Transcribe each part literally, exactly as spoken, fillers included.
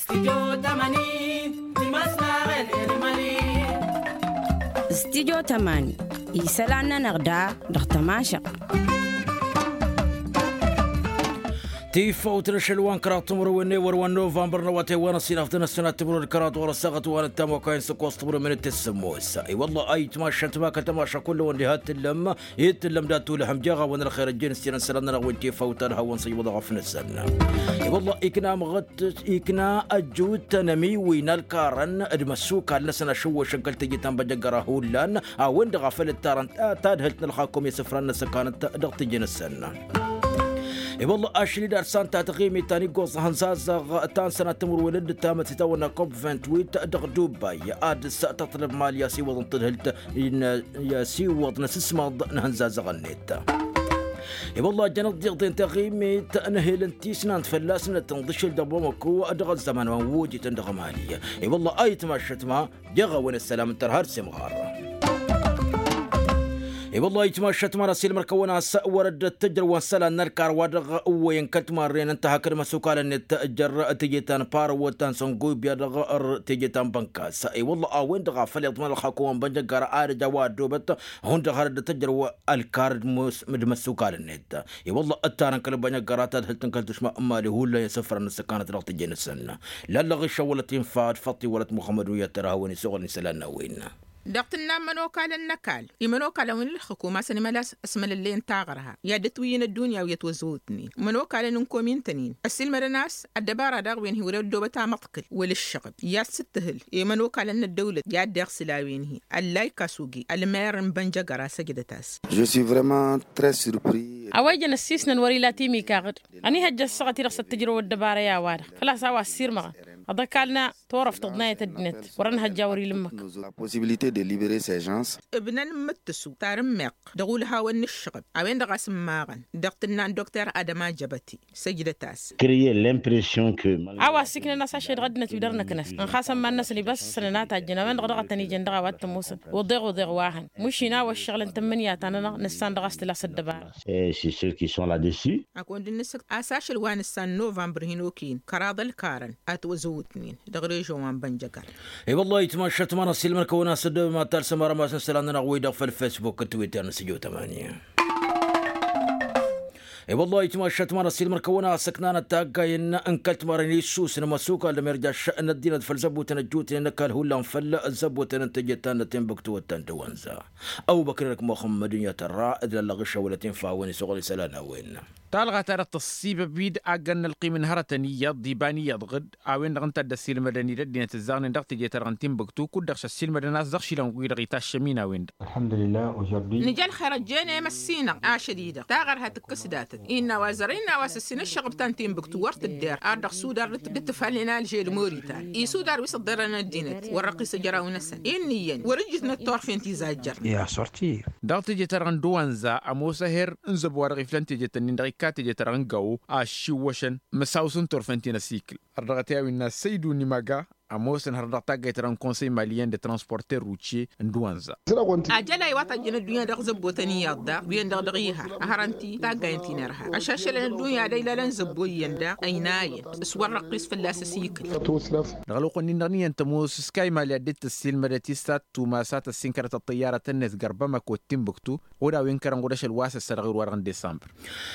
Stidyo tămani isălan-nănăɣ da dăɣ-tămašăɣt. Tifawt n-ašăl wa n-kăraḍ timǝrwen n-ewăr wa n-novămbăr n-awătay wa n-ăsinaf d-inăssinat timǝrwen d-kăraḍ ɣur-ăssaɣăt wa n-ăttam wa kayăn s-ăkkoẓ timǝrwen minit tǝssǝmmos. I-wălla ayǝtmašăt ma kăl-tămaša kull-wăn diha t-tǝllăm i-tǝllăm dat-tulăhăm jeɣ-awăn ălxer ăjjeen s-tinăn isălan-nănăɣ wi n-tifawt ad-hawăn-săjwăḍăɣ ăfnăsăn. I-wălla ikna amăɣăt ikna ăjjut n-amiwin ălkarăn d-imăssukal-năsăn ašǝwwăšăn kăl-teje ta n-băjăggăra hullan a-wen-dăɣ a făl ǝttarăn tadhǝlt n-ălxakum i-asǝfran n-asăkanăt dăɣ-teje-năsăn. I-wălla ašli d-ad-san ta taɣimit ta n-iggoẓ hănzazăɣ ta n-sănat timǝrwen d-tamăt itawănna kop vint-wit dăɣ-dubay ad-s tăṭṭălăb mali a-s iwăḍăn tadhǝlt i-a-s iwăḍ n-asǝsmaḍ n-hănzazăɣ-net. I-wălla jăn ăḍḍiḍen taɣimit n-ehel n-tisnant fălla-s n-tǝnḍǝšel dăɣ-bamăko dăɣ-ăzzăman wa n-wojităn dăɣ-emali. I-wălla a itmašăt ma jeɣ-a-wen ăssălam n-tărha d-semɣar. I-wălla a itmašăt ma n-asilmăr kăwăn-as wăr-dd ăttăjrăwăn isălan n-ălkar wa dăɣ-ăwwăyăn kăl-timarren n-tahăk d-imăsukalăn-net jer-teje ta n-parăwăt ta n-săngoybya dăɣ-teje ta n-bănkas. I-wălla a-wen-dăɣ a făl iḍman ălxakuwăn bănjăggara ad-ăj a-wa ăddoobăt hundăɣ har dd-tăjrăw ălkar d-imăsukalăn-net. I-wălla ǝttarăn kăl-bănjăggara tadhǝlt n-kăl-tušma n-mali hullan i-asǝfrăn n-ăssăkanăt dăɣ-teje-năsăn. Lallăɣ išăwălăt infa d-făṭṭi wălăt muxămmăd wi ad-tărhawăn isuɣǝl n-isălan n-a-wen. Dăɣ-tǝnna n-imănokalăn n-ăkall imănokalăn wi n-ǝlxǝkum a-s ănimăla s-mălăllăyăn taɣărha i-ad-dd-ătwǝyyǝn ăddunya wi ătwăzzăwătnen imănokalăn n-komin-tăn-in ăssiilmădăn a-s ăddăbara daɣ wen hi-wăr-e ăddoobăt amăḍkǝl wăla ǝššăɣǝb i-ad-sǝttǝhǝl i-imănokalăn n-ăddăwlăt i-ad-dd-iɣsǝl a-wen-hi ăllay kasugi ălmer n-bănjăgăra săjdăt-as. Je suis vraiment très surpris. A-wa ijăn ăssiisnăn wăr-ila timikaɣ-dd ănihăjja ăssaɣăt-i-dăɣ s-ăttǝjrăw ăddăbara i-a-wa-dăɣ făl-a-s a-wa ăssiirmăɣăn ad-ăkall n-turăft tăḍnayăt ăddinăt wăr-ănhăjja wăr-ila ǝmmǝk. La possibilité de libérer ces gens. Ǝbnăn n-imǝttǝsu tarǝmmeɣt dăɣ-ulhawăn n-ǝššăɣǝb a-wen-dăɣ a-s ǝmmaɣăn dăɣ-tǝnna n-dokter adăma jăbăti săjdăt-as. Créer l'impression que a-wa ăssiiknăn a-s ašăl dăɣ-ăddinăt wi dăr-năknăs ǝnxasăn iman-năsăn ibas s-sănăn a tajjăn a-wen-dăɣ dăɣ-tăn-ijăn dăɣ-a-wa t-ămoosăn uḍeɣ uḍeɣ wa hăn mušin a-wa ǝššăɣǝlăn tǝmmǝnǝya-ta-nănăɣ nǝssan dăɣ-a-s tǝla s-ăddăbara. E c'est sûr qu'ils sont là-dessus. Akund n-nǝsǝk a-s ašăl wa nǝssan novămbăr hin-okăyăn kăraḍ ălkarăn a ătwăzăwătnen dăɣ-režon wa n-bănjăgar. I-wăllah itmašat ma n-ăssiilmăn kăwăn-as ăddăbăm ad-talsăm arămas n-isălan-nănăɣ wi-dăɣ făll-facebook d-twitter n-sǝjo tămani. I-wăllah itmašat ma n-ăssiilmăn kăwăn-as ǝknanăt taggayen n-kăl-timarăn issusăn măsukal d-amirjaš n-ăddinăt făll-zăbutăn ăjjutnen n-ăkall hullan făll-zăbutăn n-teje ta n-timbuktu wăttan d-wănza. Ăbubăkr-i-dăɣ muxămmăd-in i-ad-tărra d-lăllăɣ išăwălăt infa a-wen isuɣǝl isălan a-wen. Talɣa-ta-dăɣ tăṣṣibăb-dd aggăn n-ălqim n-hărătăn iyyăḍ d-iba n-iyyăḍ ɣǝd a-wen-dăɣ ǝnta a dd-ăssiilmădăn-dd ăddinăt ǝzzaɣnen dăɣ-teje-ta-dăɣ n-timbuktu kud-dăɣ šăssiilmădăn a-s dăɣ-išilan wi-dăɣ itaššăm-in a-wen-dăɣ. Nǝja ălxer ăjjeen i-măssinăɣ ašăl-i-dăɣ taɣărha tǝkkǝs datăt innă a-wa zărăyăn a-wa s-ǝssin ǝššăɣăb ta n-timbuktu wăr tǝdder ar dăɣ-sudar d-ǝtǝfalnen alžel moritan isudar wi s-ǝḍḍărăn ăddinăt wăr-răqqis ăjraw-năsăn innă iyyăn wăr-ǝjǝtnăt turfen tizajjăr. Dăɣ-teje-ta-dăɣ n-dăwanza ămoos ăher n-zăbo wa dăɣ-iflăn teje-tăn-in dăɣ-ikka teje-ta-dăɣ n-gawo a ăššiwwăšăn măsaw s-n turfen ti n-ăsikǝl. Ărdăɣăt i-a-wi n-asăydu n-imaga ămoosăn hăr dăɣ-taggayt-ta-dăɣ n-konsăy maliyen d-transporter rutye n-dăwanza. Ajălay wa tăjjăn ăddunya dăɣ-zăbbotăn iyyăḍ daɣ wi-en-dăɣ dăɣ-ihăr ăhărăn-t-i taggayen ti n-irha ăšašălăn ăddunya ad-ăylalăn zăbbo iyyăn daɣ ăynayăn s-wăr răqqis fălla-s ăsikǝl. Dăɣ-ălwăqq-nin-dăɣ n-iyyăn tămoos s-kaymal i-ad-dd-tăssiilmădăt istat tumas a tăssinkărăt ăṭṭăyyarăt-net gărbămăko d-timbuktu. Ura wi n-kărăn ɣud ašăl wa s-ăssărăɣ i-ru-wa-dăɣ n-disămbăr.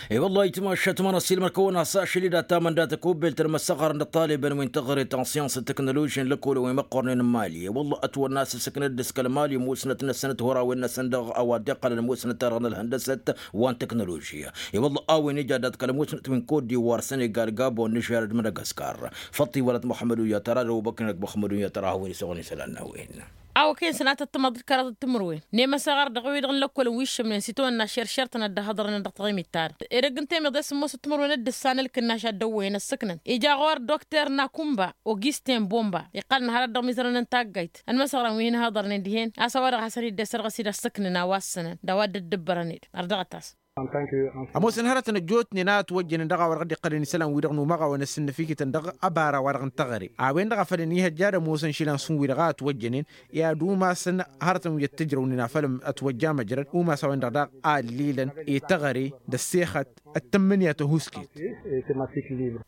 I-wăllah itmašat ma n-ăssiilmăr kăwăn-asăšăl-i dat-tamăndatăk ubelt ănmăssăɣar n-ăṭṭalibăn wi n-taɣre ta n-siyans d-teknoloži n-lăkkolăn wi măqqornen n-mali i-wăllah ătwănna a-s ǝssǝknăt d-ǝskăl mali musnăt-năsăn d-hurawen-năsăn dăɣ-a-wa dd-iqqălăn musnăt-ta-dăɣ n-ălhăndăsăt wa n-teknoloži. I-wăllah a-wen ija dat-kăl-musnăt wi n-kot-di-war sănegal gabon nižer d-madagaskar. Făṭṭi wălăt muḥămmăd uyyăt ara d-ăbubăkr-i-năk muḥămmăd uyyăt ara a hawăn-isăɣăn isălan n-a-wen. A-wa kăyăn sănatăt tămăḍt d-kăraḍăt timǝrwen nemăsăɣar dăɣ-wi-dăɣ n-lăkkolăn wi ǝššǝmnen s-itwănna šeršer-tăn ad-dd-ăhhăḍărnen dăɣ-taɣimit-ta-dăɣ ed ăgg n-temăḍe s-ămoosăt timǝrwen d-ǝssan ǝlkǝnnaš ad-dd-ăwwăyăn ăssǝknăn ija ɣur-dr nakumba augustin bomba iqqălăn hărăt dăɣ-imizărăn n-taggayt ănmăsăɣran wi hin-ăhhăḍărnen dihen a-s a-wa-dăɣ hasăn-dd-esărɣǝs-dd ăssǝknăn a-wa ǝssǝnăn d-a-wa dd-ăddăbbărăn-dd ărdăɣăt-as. Ămoosăn hărătăn ăjjootnen a ătwăjjănen dăɣ-a-wa dăɣ-dd-iqqălăn isălan-wi-dăɣ n-umăɣawăn ăssinnăfikităn dăɣ-abara wa dăɣ-n-teɣăre a-wen-dăɣ a făl ănihăjja ad-ămoosăn išilan s-hun-wi-dăɣ a ătwăjjănen i-ad-umasăn hărătăn wi ăttǝjrăwnen afăl ătwăjja măjrăd umas a-wen-dăɣ daɣ a ăllilăn i-teɣăre d-ăssexăt d-tǝmmǝnǝya tăhusket.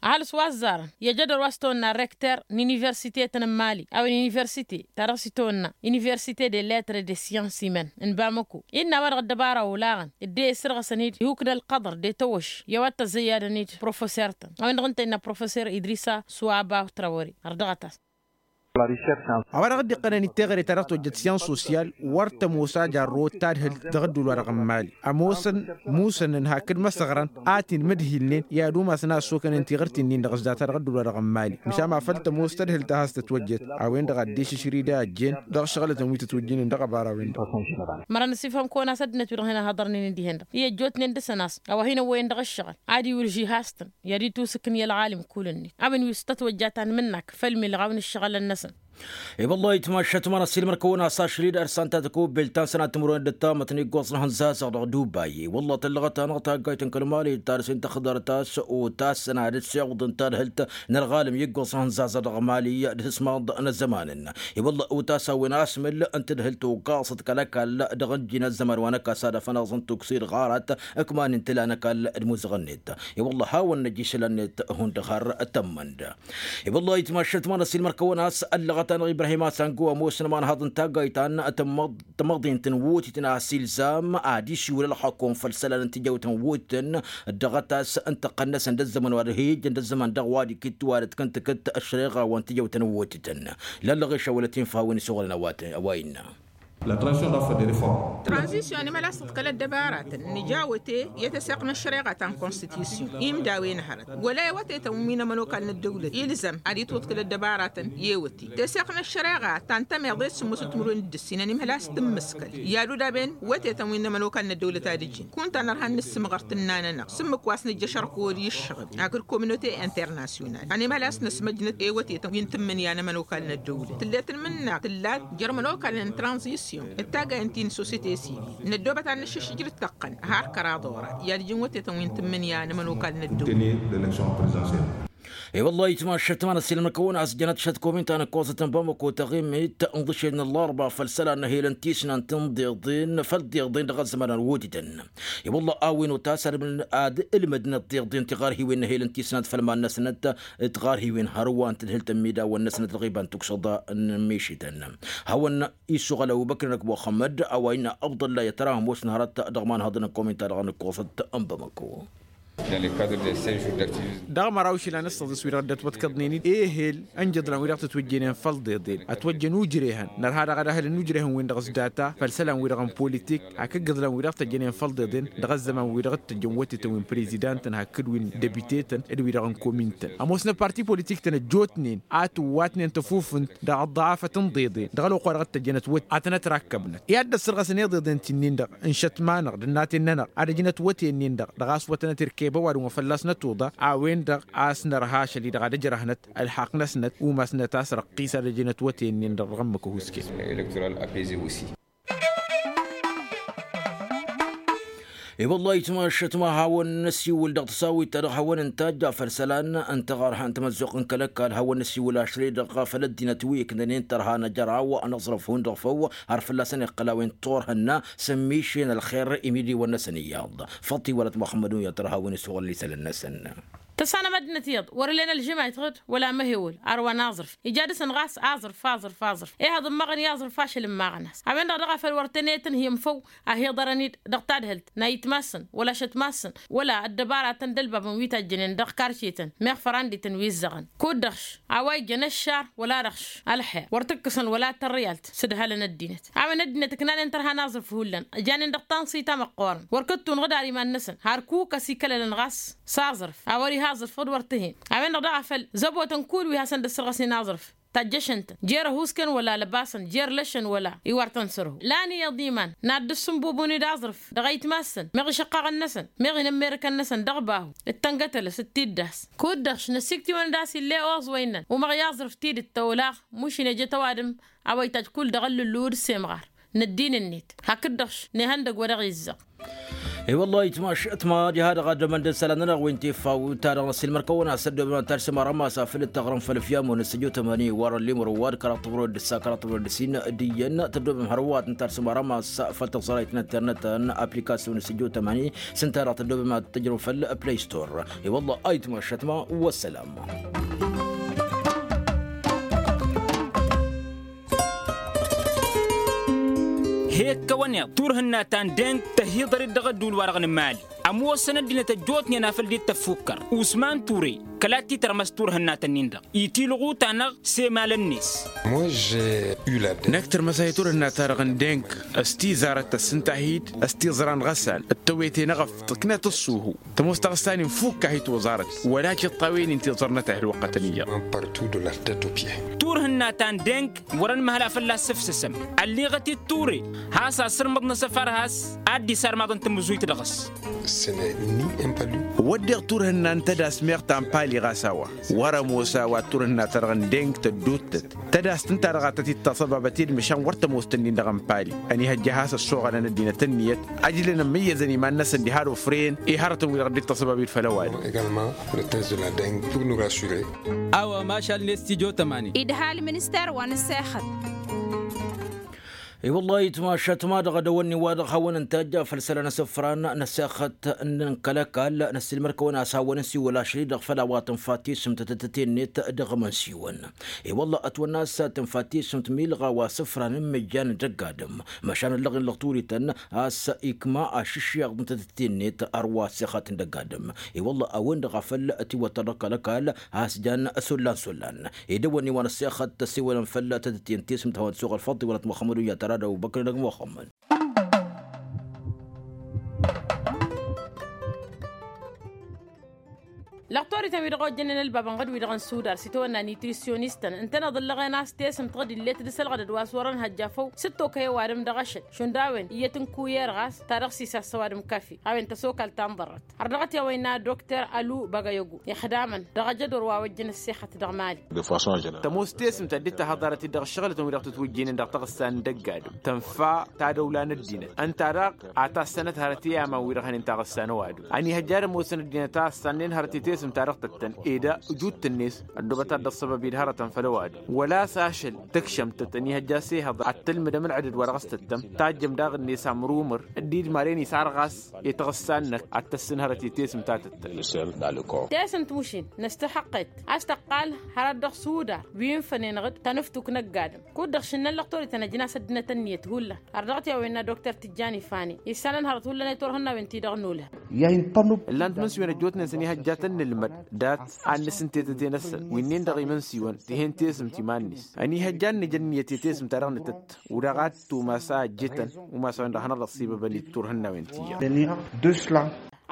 Ăhalǝs wa ăzzarăn i-ajădor wa s-tăwănna rekter n-universitetăn n-mali a-wen universite ta dăɣ-s itawănna universite de lettre de science imăn n-bamăko innă a-wa dăɣ-ăddăbara olaɣăn dd-e isǝrɣăsăn-dd ihuk n-ălqăḍăr d-etăwăš i-a-wa t-ăzzăyyadăn-dd professor-tăn a-wen-dăɣ ǝnta innă professor idrisa swaba trawăre. Ărdăɣăt-as. A-wa dăɣ-dd-iqqănăn iteɣăre ta dăɣ-tăwăjjăt science social wăr tămoos a jarrăwăt tadhǝlt dăɣ-ădduul-wa-dăɣ n-mali. Ămoosăn musănăn hakd măsăɣrăn a t-inmǝdhilnen i-ad-umasăn a ăssokănen tiɣǝrten-in-dăɣ s-data dăɣ-ădduul-wa-dăɣ n-mali măšan ma făl tămoos tădhǝlt a has-tătwăjjăt. A-wen-dăɣ a dd-išǝšrǝy d-a ăjjeen dăɣ-ašăɣǝlătăn wi tătwăjjănen dăɣ-abara-wen-dăɣ. Mărăn ăsifhăm kăwăn-as ăddinăt wi-dăɣ hin-ăhhăḍărnen d-ihen-dăɣ i-ăjjootnen dăɣ-săn a-s a-wa hin-ăwwăyăn dăɣ-ǝššăɣǝl ad-iwǝlžih has-tăn i-ad-itusǝkǝn i-ălɣalim kull-net. A-wen wi s-tătwăjja ta n-imǝnnak făll-milɣaw n-ǝššăɣǝlăn-năsăn. I-wăllah itmašat ma n-ăssiilmăr-kăwăn a-s ašăl-i d-ărsantăt kăwăbbel ta n-sănat timǝrwen d-ăttamăt n-iggoẓ n-ihănzazăɣ dăɣ-dubai i-wăllah tăllăɣăt-anăɣ taggayt n-kăl-mali d-tarsent tăxḍarăt a-s otasăn ad-dd-siwǝḍăn tadhǝlt n-ălɣalăm i-iggoẓ n-ihănzazăɣ dăɣ-mali d-ihǝsmaḍ n-ăzzăman-nănăɣ. I-wăllah otas a-wen asmǝl n-tadhǝlt ogaẓăt kăl-ăkall dăɣ-ǝnji n-ăzzăman wa n-ăkasad afănaẓ n-tuksi d-ɣarat ǝkman n-tǝla n-ăkall d-imuzăɣ-net. I-wăllah hawăn-năj isălan-net hundăɣ har tămmănd. I-wăllah itmašat ma n-ăssiilmăr-kăwăn a-s ăllăɣăt-anăɣ ibrahim asango ămoosăn imanhaḍ n-taggayt ta n-tămmăḍint n-wotităn a-s ilzam ad-isiwǝl ălxăkom făll-isălan n-tijawt n-wotităn. Dd-dăɣ-tas n-tăqqăn-năsăn d-ăzzăman wa dăɣ-hi-ijjăn d-ăzzăman dăɣ-wa d-ikǝttǝwalăt kăn-tǝkǝtt ăššăreɣa wa n-tijawt n-wotităn. Lăllăɣešăn wăla tinfa a-wen isuɣǝlăn a-wa innă. Tranzisyon anămălasăt kăl-ăddăbaratăn nǝja awăte i-teseɣt n-ăššăreɣa ta n-konstitisyon imdawen hărăt wăla i-awătetăn wi n-ămănokal n-ăddăwlăt ilzăm ad-itwǝḍkǝl ăddăbaratăn i-awăte teseɣt n-ăššăreɣa ta n-tămeḍe d-sǝmmosăt timǝrwen d-ǝssin ănimhăl a-s tǝmmǝskăl i-ad-udaben wătetăn wi n-ămănokal n-ăddăwlăt ad-ǝjǝn kunta nărha n-inǝssǝmɣăr tǝnna-nănăɣ s-ǝmmǝk wa s-nǝjjăšăr kăwăd i-ǝššăɣǝb hakd kominote internasyonal ănimhăl a-s năsmăjnăt i-wătetăn wi n-tǝmmǝnǝya n-ămănokal n-ăddăwlăt tǝllet n-imǝnna tǝllat jer-ămănokal n-tranzisyon d-taggayăn ti n-sosete sivil n-ăddoobăt ad-nǝššǝššǝj d-tăqqăn har kăraḍ orat i-ad-ǝjǝn wătetăn wi n-tǝmmǝnǝya n-ămănokal n-ăddăwlăt. I-wăllah itmašat ma n-ăssiilmăr-kăwăn a-s jănăt šăt komin ta n-ǝkkoẓăt n-bamăko taɣimit n-ḍǝšed n-ăllarba făll-isălan n-ehel n-tisnant n-iḍeḍen făll-iḍeḍen dăɣ-ăzzăman n-wotităn. I-wăllah a-wen otas ad-ǝlmǝdnăt tiḍeḍen tiɣarhiwen n-ehel n-tisnant făll-iman-năsnăt tiɣarhiwen hărwa n-tǝdhǝlt n-imidawăn-năsnăt ălɣiba n-tukšăḍa n-mišităn. Hawăn-isuɣăl ăbubăkr n-ăkk muxămmăd a-wa innă abdălla i-ad-tăra ămoosăn hărăt dăɣ-imanhăḍăn n-komin ta dăɣ-nǝkkoẓăt n-bamăko. Dăɣ-măraw išilan ǝssăḍǝs wi-dăɣ dd-ătwătkăḍnen-dd ehel ǝnjǝḍlan wi-dăɣ tǝtwǝjjănen făll-iḍeḍen ătwăjjăn ujrehăn nărha dăɣ-edăhăl n-ujrehăn-win-dăɣ s-data făll-isălan-wi-dăɣ n-politik hakd igǝḍlan wi-dăɣ tăjjănen făll-iḍeḍen dăɣ-ăzzăman-wi-dăɣ t-tăjjăn wătetăn wi n-prezidantăn hakd wi n-debiteten d-wi-dăɣ n-komintăn. Ămoosnăt parti politik-tăn ăjjootnen a tǝwwatnen tăfufǝnt dăɣ-ăḍḍăɣafăt n-iḍeḍen dăɣ-ălwăqq wa dăɣ-t-tăjjănăt wăt ad-tănăt-rakkăbnăt i-ad-dd-ăssărɣăsăn iḍeḍen ti-nin-dăɣ n-išătma-năɣ d-ănnaten-nănăɣ ad-ăjnăt wăte-nin-dăɣ dăɣ-a-s wătănăt irkeb ăwadǝm wa fălla-s nătuḍa. A-wen-dăɣ a-s nărha ašăl-i-dăɣ ad-ăjrăhnăt ălxaqq-năsnăt umasnăt a-s răqqis ad-ăjnăt wăte-nin-dăɣ dăɣ-ămmǝk ăhuusken. I-wăllah itmašăt ma hawăn-năsiwǝl dăɣ-tăsawit ta dăɣ-hawăn-ntajja făll-isălan n-taɣarha n-tamăzzuɣt n-kăl-ăkall hawăn-năsiwǝl ašăl-i-dăɣ făll-ăddinăt wi ǝknănen tărha n-ajăraw n-aẓrǝf hundăɣ făw har fălla-săn iqqăl a-wen turhǝnna s-ămmišen ălxer imidiwăn-năsăn iyyăḍ. Făṭṭ-i wăla t-muxămmăd-un i-ad-tărha a-wen isuɣǝl isălan-năsăn. Tăsanăm ăddinăt iyyăḍ wăr-ǝllen ălžǝmayt ɣǝd wăla amăhewăl arwa n-aẓrǝf ija dăɣ-săn ɣas aẓrǝf aẓrǝf aẓrǝf. Ehăḍ ǝmmaɣăn i-aẓrǝf ašăl ǝmmaɣăn a-s a-wen-dăɣ daɣ a făl wăr tăn-e-tǝnhǝyăm făw. Ahǝḍărăn-dd dăɣ-tadhǝlt n-ayǝtma-săn wăla ašătma-săn wăla ăddăbaratăn d-ălbabăn wi tajjănen dăɣ-karcetăn meɣ fărandităn wi ǝzzăɣăn kud-dăɣ-š a-wa ijjăn ăššar wăla-dăɣ-š ălxer wăr t-ǝkkǝsăn wăla tărrǝyalt s-ǝdhălăn ăddinăt. A-wen ăddinăt ǝknanen tărha n-aẓrǝf hullan ǝjanen dăɣ-tanṣit a măqqoorăn wăr kăttun ɣǝd ar iman-năsăn har kukăs ikălălăn ɣas s-aẓrǝf a wăr-iha aẓrǝf ɣǝd wăr t-hen. A-wen-dăɣ daɣ a făl zăbotăn kull wi hasăn-dd-ăssărɣăsnen aẓrǝf tajjăšăn-tăn jer-ăhuusken wăla lăbasăn jer-lăšăn wăla iwar tăn-sărhu lan iyyăḍ iman n-ad-dd-ǝssǝnbubǝwăn-dd aẓrǝf dăɣ-ayǝtma-săn meɣ išăqqaɣăn-năsăn meɣ inămmerǝkăn-năsăn dăɣ-bahu d-tăngătălăs d-tiddas. Kud-dăɣ-š năsiktǝwăn-dd a-s ill'-e oẓ wa innăn umăɣ i-aẓrǝf tidǝt ta olaɣ mušin ejăt ăwadǝm a-wa itajj kull dăɣ-ăllǝllu d-semɣar n-ăddin-net hakd-dăɣ-š n-ehăndăg wa dăɣ-izzăɣ. I-wălla ayǝtmašăt ma diha-dăɣ ad-dămăn d-isălan-nănăɣ wi n-tifawt-ta-dăɣ n-ăssiilmăr-kăwăn-as ăddobăm ad-tarsǝm arămas afăl d-taɣrǝm făll-afyam-wen s-ăjjootămani wăr-ăllimăr ăwadǝm kăraḍ tămrăwăt d-ǝssa kăraḍ tămrăwăt d-ǝssin d-iyyăn tăddobăm hărăwat n-tarsǝm arămas făll-tăẓrayt n-internet n-aplikasyon s-ăjjootămani s-ǝnta-dăɣ tăddobăm ad-tǝjrǝm făll-play store. I-wălla ayǝtmašăt ma wăssălam. He-ǝkkăwăn iḍ turhǝnna ta n-deng tăhiḍăr-dd dăɣ-ădduul-wa-dăɣ n-mali ămoosăn ăddinăt ăjjootnen afăl dd-tăffukkăr usman ture kăla t-titărmăs turhǝnna-tăn-in-dăɣ itilɣu-ta-năɣ s-emalăn-net. Năkk tărmăsay turhǝnna-ta-dăɣ n-deng s-tizarăt tăssǝnta-hi-dd s-tiẓra n-ɣăsal d-tăwete n-eɣăft tǝknăt ăṣṣuhu. Tămoos taɣǝssa-nin fukk-ahi toẓarăt wăla kiṭṭawen-in tiẓrănăt a hi-ălwăqqătăn iyyăḍ. Turhǝnna ta n-deng wăr-ănmăhăl a fălla-s ǝfsǝsăm ălliɣăt-dd ture has-asǝrmǝḍ n-asăfar has-ad-dd-isarmaḍăn tamǝzuyt dăɣ-s. Wădden turhǝnna n-tădas meɣ ta n-pali ɣas a-wa wăr-ămoos a-wa turhǝnna-ta-dăɣ n-deng tădduuttăt tădast ǝnta-dăɣ a tăt-dd-tasăbabăt i-dd măšan wăr tămoos-tăn-in-dăɣ n-pali. Ănihăjja a has-ăssoɣălăn ăddinăt ǝnniyăt ăjlăn ămmăyyăzăn iman-năsăn diha d-ofren i-hărătăn-wi-dăɣ dd-tasăbab i-dd făll-ăwadǝm. A-wa mašal n-estijotămani. Idha ălminister wa n-ăssexăt. I-wăllah itmašat ma dăɣ-edăwănni wa dăɣ-hawăn-ǝnta ăjja făll-isălan asǝfran n-ăssexăt n-kăl-ăkall n-ăssiilmăr-kăwăn-as hawăn-ănsiwăl ašăl-i-dăɣ făll-a-wa tǝnfa tisǝmt tăt-tăt-ennet dăɣ-imǝnsiwăn. I-wăllah ătwănna a-s tǝnfa tisǝmt milɣa wa sǝfran n-imǝjjan n-dăgg-adǝm măšan ăllăɣen lăɣturităn a-s ikma ašǝššeɣ n-tăt-tăt-ennet ărwa ăssexăt n-dăgg-adǝm. I-wăllah a-wen-dăɣ a făl tiwăttăr dăɣ-kăl-ăkall a-s jan s-ollan s-ollan. Edăwănni wa n-ăssexăt tăssewălăn făll-tăt-ătyen tesǝmt hawăn-t-suɣ ălfăḍt iwălăt muxămmăd uyyat ara d-ăbubăkr n-ăgg muxămmăd. Lăqtorităn wi-dăɣ ojjănen ălbabăn ɣǝd wi-dăɣ n-sudar s-itawănna nitrisyonistăn ǝntăneḍ ǝllăɣen a-s tesǝmt ɣǝd illet d-isălɣădăd wa s-wărăn hăjja făw s-dd-tokăy ăwadǝm dăɣ-ašăl šund a-wen iyyăt n-kuyer ɣas ta dăɣ-sisas s-ăwadǝm kafi a-wen tăsokal ta n-ḍărrăt. Har dăɣ-t i-a-wa innă dokter alu băgăyăgu ixdamăn dăɣ-ajădor wa ojjăn ăssexăt dăɣ-mali. Tămoos tesǝmt a dd-tahăḍarăt-dd dăɣ-ăššăɣǝlătăn wi-dăɣ tǝtwǝjjăynen dăɣ-taɣǝssa n-dăgg-adǝm tănfa tadăwla n-ăddinăt ǝnta daɣ a tassănăt hărăt i-aman-wi-dăɣ hănen taɣǝssa n-ăwadǝm ănihăjja ad-ămoosăn ăddinăt a ăssannăyăn hărăt i-tesǝmt-ta-dăɣ tăttăn ed ăjut-net ăddoobăt ad-dd-ăṣṣăbăb-dd hărătăn făll-ăwadǝm wăla a-s ašăl tǝkšăm-tăt ănihăjja s-ehăḍ ad-tǝlmǝdăm ălɣădăd wa dăɣ-s tăttăm tajjăm daɣ-net amrumǝr dd-idmaren isar ɣas i-taɣǝssa-năk ad-tăssǝn hărăt i-tesǝmt ta tăttăn. Tesǝmt mušin năstăhăqqet a-s tăqqal hărăt dăɣ-sudar wi n-fănen ɣǝd tanǝftuk n-ăgg-adǝm kud-dăɣ šǝnnăn lăqtor-i tăn-ăjnas ăddinăt ǝnniyăt hullan. Ărdăɣăt i-a-wa innă dokter tijjani fani issanăn hărăt hullan i-turhǝnnawen-ti-dăɣ n-olhăn. Ǝllan timǝnsiwen ăjjootnen s-ănihăjja tăn-nǝlmăd dat-ad-nǝsǝntetăte-năsăn wi-nin-dăɣ imǝnsiwăn tihen tesǝmt iman-net ănihăjja ad-nǝj ănniyăt i-tesǝmt-ta-dăɣ nǝtǝtt udaɣ ad-tumas a ăjjǝtăn umas a-wen-dăɣ hanăɣ-dd-ăṣṣibăbăn i-turhǝnnawen ti-iyyăḍ.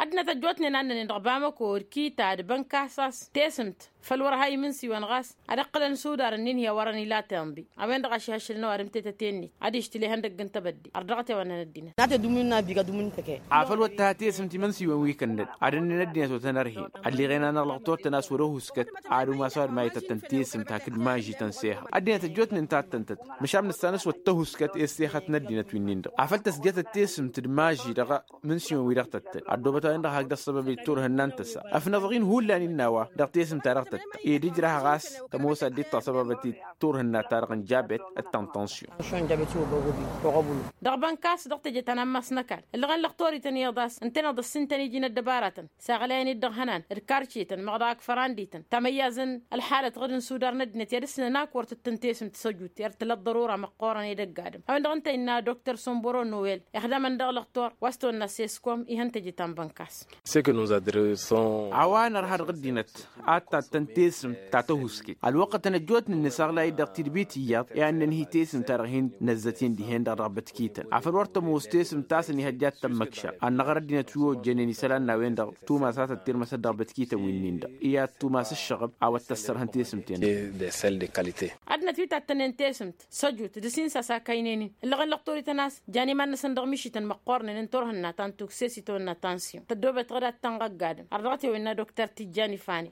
Ăddinăt ăjjootnen a ǝnnănen dăɣ-bamăko d-kita d-bănkas a-s tesǝmt făl wăr-ha imǝnsiwăn ɣas ad-ǝqqǝlăn s-udar ǝnnin hi-a wărăn ila tenḍi a-wen-dăɣ ašihăššǝlăn ăwadǝm tetăte-net ad-ištǝl ihăndăgg n-tebădde. Ărdăɣăt i-a-wa ǝnnăn ăddinăt. Afăl wăr t-ha tesǝmt imǝnsiwăn wi kănnăd ad-ǝnnin ăddinăt wăr tăn-ărhen ălliɣen-anăɣ lăqtor-tăn a-s wăr-ăhuskăt ad-umas a-wa d-mayǝtăt tăn-tesǝmt hakd maži tăn-sehăḍ ăddinăt ăjjootnen ta t-tăn-tăt. Măšan nǝssan a-s wăr t-ăhuskăt i-ăssexăt n-ăddinăt wi-nin-dăɣ afăl tăsjătăt tesǝmt d-maži dăɣ-imǝnsiwăn-wi-dăɣ tăttăn ăddoobăt a-wen-dăɣ hakd ăṣṣăbăb i-turhǝnna n-tăsa ăfnăḍ-in hullan innă a-wa dăɣ-tesǝmt-ta-dăɣ tăttăn ed ǝjrah ɣas tămoos ad-dd-tasăbăbăt i-turhǝnna-ta-dăɣ n-jabet d-tăn-tănsiyon. Dăɣ-bănkas dăɣ-teje ta n-ammas n-ăkall ǝllăɣen lăqtor-ităn iyyăḍ a-s ǝntăneḍ ăssintăn iji n-ăddăbaratăn s-aɣlayen-dd dăɣ-ihănan d-karcetăn măɣ daɣ ǝkfăran dităn tamăyyaz n-ălxalăt ɣǝd n-sudar n-ăddinăt i-ad-ǝsnăn ak wăr tǝttăn tesǝmt s-ăjut i-ad-tǝla ăḍḍărura măqqoorăn edăgg adǝm a-wen-dăɣ ǝnta innă doktor somboro nowel ixdamăn dăɣ-lăqtor wa s-tăwănna s-eskom ihăn teje ta n-bănkas. A-wa nărha dăɣ-ăddinăt ad-tattăn tesǝmt ta tăhusket ălwăqqătăn ăjjootnen nǝsaɣlay-dd dăɣ-tidbit iyyăḍ i-ad-nǝnhǝy tesǝmt-ta-dăɣ hin-năzzăten dihen-dăɣ dăɣ-bătkităn afăl wăr tămoos tesǝmt ta s-ănihăjja ad-tămmăkšăr ad-năɣăr ăddinăt wi ojjănen isălan n-a-wen-dăɣ tumas a tăttirmăsăt dăɣ-bătkităn wi-nin-dăɣ i-ad-tumas ǝššăɣăb a-wa t-tăssărhăn tesǝmt-en. Ăddinăt wi tattănen tesǝmt s-ăjut d-asinsas akăynen-in ǝllăɣen lăqtor-ităn a-s jan iman-năsăn dăɣ-mišităn măqqoornen n-turhǝnna ta n-tukse s-itawănna tansyon tăddoobet ɣǝd ad-tănɣăgg adǝm ărdăɣăt i-wănna dokter tijjan ifani.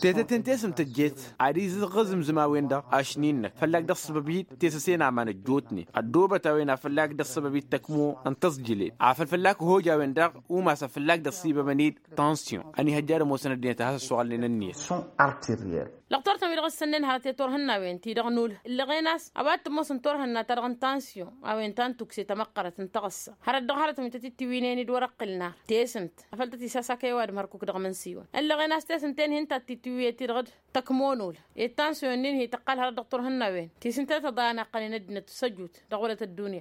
Tetăt-en tesǝmt tăjjet ad-izǝɣ ăzǝmzǝm a. a-wen-dăɣ ašni-năk fălla-k dăɣ-săbăb-i tesăse n-aman ăjjootnen ăddoobăt a-wen a fălla-k dăɣ-săbăb-i d-tăkmo n-tăẓjǝlet afăl fălla-k hoja a-wen-dăɣ umas a fălla-k dăɣ-sibămăn-dd tansyon ănihăjja ad-ămoosăn ăddinăt a has-ăssoɣălnen ǝnniyăt. Dăɣ-turtăn-wi-dăɣ ǝssănnen hărăt i-turhǝnnawen-ti-dăɣ n-ul ǝllăɣen a-s a-wa t-ămoosăn turhǝnna-ta-dăɣ n-tansyon a-wen ta n-tukse tamăqqărăt n-taɣǝssa hărăt dăɣ-hărătăn wi tăt-ittiwǝynen d-wăr-ăqqǝlna tesǝnt afăl tăt-isasakăy ăwadǝm hărkuk dăɣ-imǝnsǝywan ǝllăɣen a-s tesǝnt-en hin-ta t-ittiwǝyăt-i-dăɣ d-tăkmo n-ul i-tansyon-nin hi-tăqqal hărăt dăɣ-turhǝnnawen ti s-ǝnta tăḍa a naqqănen ăddinăt s-ăjut dăɣ-wălăt ăddunya.